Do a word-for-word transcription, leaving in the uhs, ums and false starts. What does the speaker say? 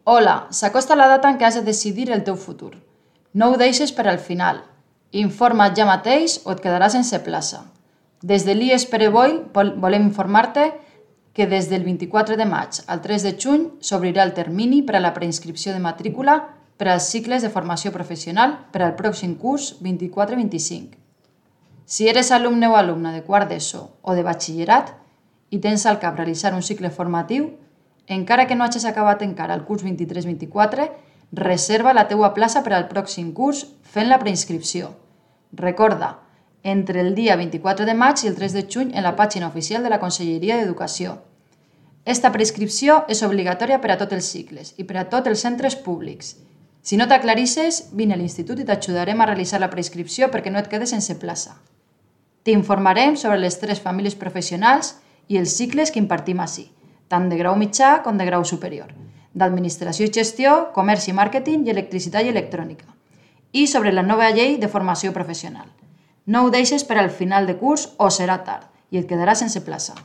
Hola, s'acosta la data en què has de decidir el teu futur. No ho deixes per al final. Informa't ja mateix o et quedaràs sense plaça. Des de l'I E S Pere Boi volem informar-te que des del vint-i-quatre de maig al tres de juny s'obrirà el termini per a la preinscripció de matrícula per als cicles de formació professional per al pròxim curs vint-i-quatre vint-i-cinc. Si eres alumne o alumna de quart d'ESO o de batxillerat i tens al cap realitzar un cicle formatiu, encara que no hagis acabat encara el curs vint-i-tres vint-i-quatre, reserva la teua plaça per al pròxim curs fent la preinscripció. Recorda, entre el dia vint-i-quatre de maig i el tres de juny en la pàgina oficial de la Conselleria d'Educació. Esta preinscripció és obligatòria per a tots els cicles i per a tots els centres públics. Si no t'aclarisses, vine a l'institut i t'ajudarem a realitzar la preinscripció perquè no et quedes sense plaça. T'informarem sobre les tres famílies professionals i els cicles que impartim ací, tant de grau mitjà com de grau superior, d'administració i gestió, comerç i màrqueting i electricitat i electrònica, i sobre la nova llei de formació professional. No ho deixes per al final de curs o serà tard i et quedaràs sense plaça.